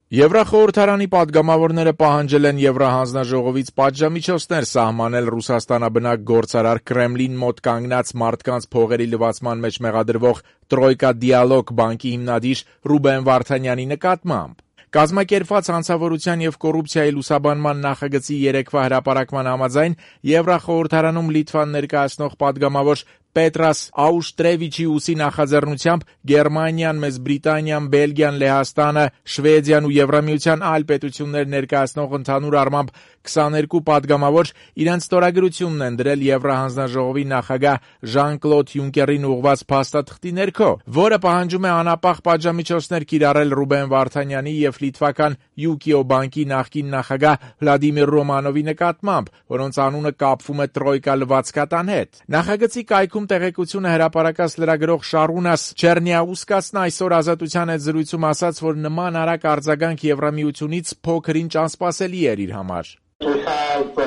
Եվրախորհրդարանի պատգամավորները պահանջել են Եվրահանձնաժողովից պատժամիջոցներ սահմանել Ռուսաստանաբնակ գործարար Կրեմլին մոտ կանգնած մարդկանց փողերի լվացման մեջ մեղադրվող Տրոյկա Դիալոգ բանկի հիմնադիր Ռուբեն Վարդանյանի նկատմամբ։ Կազմակերպված հանցավորության եւ կոռուպցիայի լուսաբանման նախագծի երեկվա հրապարակման համաձայն Եվրախորհրդարանում Լիտվան ներկայացնող պատգամավոր Պետրաս Աուշտրևիչիուսի նախաձեռնությամբ Գերմանիան, Մեծ Բրիտանիան, Բելգիան, Լեհաստանը, Շվեդիան ու Եվրամիության այլ պետություններ ներկայացնող ընդհանուր առմամբ 22 պատգամավոր իրենց ստորագրությունն են դրել Եվրահանձնաժողովի նախագահ Ժան-Կլոդ Յունկերին ուղղված փաստաթղթի ներքո, որը պահանջում է անապահ պատժամիջոցներ կիրառել Ռուբեն Վարդանյանի եւ լիտվական Յուկիո բանկի նախկին նախագահ Վլադիմիր Ռոմանովի նկատմամբ, որոնց անունը կապվում է Տրոյկա լվացկատան հետ։ Նախագծի կայքում տեղեկությունը հրապարակած լրագրող Շարունաս Չերնիաուսկասն այսօր Ազատության հետ զրույցում ասաց, որ նման արագ արձագանք Եվրամիությունից փոքրինչ անսպասելի էր իր համար։ We have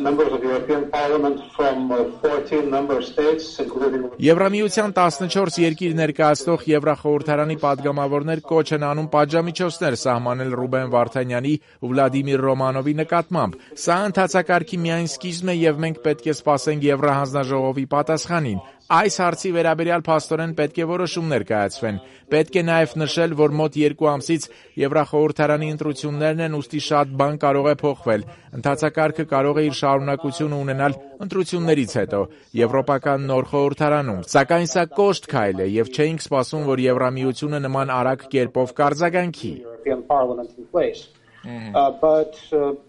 members of the European Parliament from 14 member states, including... Եվրամիության 14 երկիր ներկայացնող Եվրախորհրդարանի պատգամավորներ կոչ են անում պատժամիջոցներ սահմանել Ռուբեն Վարդանյանի ու Վլադիմիր Ռոմանովի նկատմամբ։ Սա ընթացակարգի միայն սկիզբն է եւ մենք պետք է սպասենք Եվրահանձնաժողովի պատասխանին։ Այս հարցի վերաբերյալ փաստորեն պետք է որոշումներ կայացվեն։ Պետք է նաև նշել, որ մոտ 2 ամսից Եվրախորհրդարանի ընտրություններն են, ուստի շատ բան կարող է փոխվել։ Ընթացակարգը կարող է իր շարունակությունը ունենալ ընտրություններից հետո Եվրոպական նոր խորհրդարանում։ Սակայն սա կոշտ քայլ է եւ չէինք սպասում, որ Եվրամիությունը նման արագ կերպով կարձագանքի։ But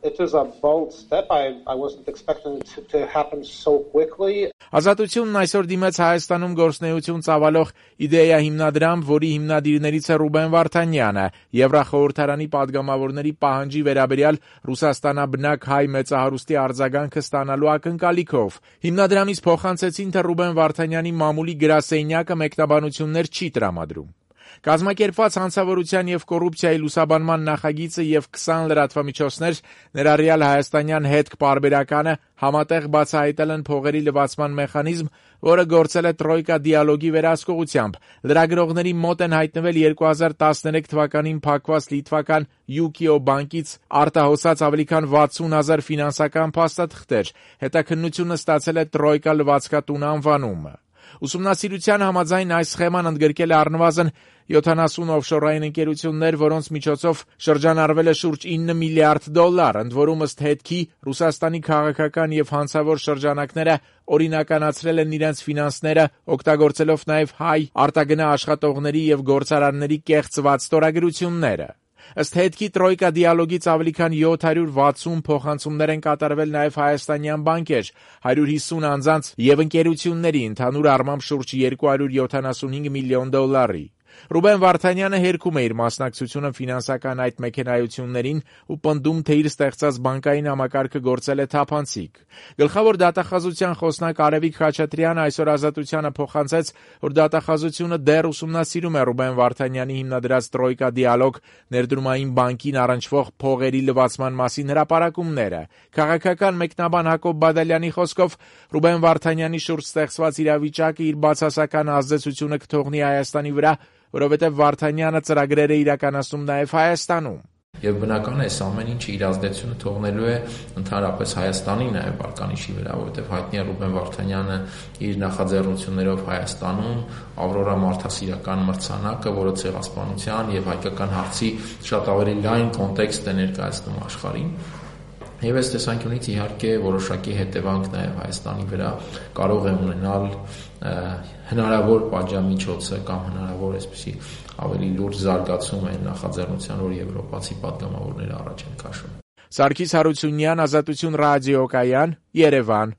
it is a bold step. I wasn't expecting it to happen so quickly. Ազատությունն այսօր դիմեց Հայաստանում գործնեություն ծավալող իդեա հիմնադրամ, որի հիմնադիրներից է Ռուբեն Վարդանյանը, Եվրախորհրդարանի պատգամավորների պահանջի վերաբերյալ Ռուսաստանաբնակ հայ մեծահարուստի արձագանքը ստանալու ակնկալիքով։ Հիմնադրամից փոխանցեցին, թե Ռուբեն Վարդանյանի մամուլի գրասենյակը մեկնաբանություններ չի տրամադրում։ Կազմակերպված հանցավորության եւ կոռուպցիայի լուսաբանման նախագիծը եւ 20 լրատվամիջոցներ, ներառյալ հայաստանյան հետք պարբերականը, համատեղ բացահայտել են փողերի լվացման մեխանիզմ, որը գործել է Տրոյկա դիալոգի վերահսկողությամբ։ Լրագրողների մոտ են հայտնվել 2013 թվականին փակված լիտվական Յուկիո բանկից արտահոսած ավելի քան 60,000 ֆինանսական փաստաթղթեր։ Հետաքննությունը ստացել է Տրոյկա լվացկատուն անվանումը։ Ուսումնասիրության համաձայն այս սխեման ընդգրկել է առնվազն 70 օֆշորային ընկերություններ, որոնց միջոցով շրջանառվել է շուրջ $9 միլիարդ, ընդ որում ըստ հետքի Ռուսաստանի քաղաքական եւ հանցավոր շրջանակները օրինականացրել են իրենց ֆինանսները, օգտագործելով նաեւ հայ արտագնա աշխատողների եւ գործարարների կեղծված ստորագրությունները։ Ըստ հետքի Տրոյկա դիալոգից ավելի քան 760 փոխանցումներ են կատարվել նաև հայաստանյան բանկեր, 150 անձանց եւ ընկերությունների, ընդհանուր առմամբ շուրջ $275 միլիոն։ Ռուբեն Վարդանյանը հերքում է իր մասնակցությունը ֆինանսական այդ մեքենայություններին ու պնդում, թե իր ստեղծած բանկային համակարգը գործել է թափանցիկ։ Գլխավոր դատախազության խոսնակ Արևիկ Խաչատրյանը այսօր Ազատությանը փոխանցեց, որ դատախազությունը դեռ ուսումնասիրում է Ռուբեն Վարդանյանի հիմնադրած Տրոյկա դիալոգ ներդրումային բանկին առնչվող փողերի լվացման մասին հրապարակումները։ Քաղաքական մեկնաբան Հակոբ Բադալյանի խոսքով Ռուբեն Վարդանյանի շուրջ ստեղծված իրավիճակը իր բացասական ազդեցությունը կթողնի Հայաստանի վրա, որովհետև Վարդանյանը ծրագրեր է իրականացնում նաև Հայաստանում։ Եվ բնական է, այս ամեն ինչը իր ազդեցությունը թողնելու է ընդհանրապես Հայաստանի նաև վարկանիշի վրա, որովհետև հայտնի է Ռուբեն Վարդանյանը իր նախաձեռնություններով Հայաստանում Ավրորա մարդասիրական մրցանակը, որը ցեղասպանության եւ հայկական հարցի շատ ավելի լայն կոնտեքստ է ներկայացնում աշխարհին։ Եվ այս տեսանկյունից իհարկե որոշակի հետևանք նաև Հայաստանի վրա կարող է ունենալ հնարավոր պատժամիջոցը կամ հնարավոր այսպիսի ավելի լուրջ զարգացում այն նախաձեռնության, որ եվրոպացի պատգամավորները առաջ են քաշում։ Սարգիս Հարությունյան, Ազատություն ռադիոկայան, Երևան։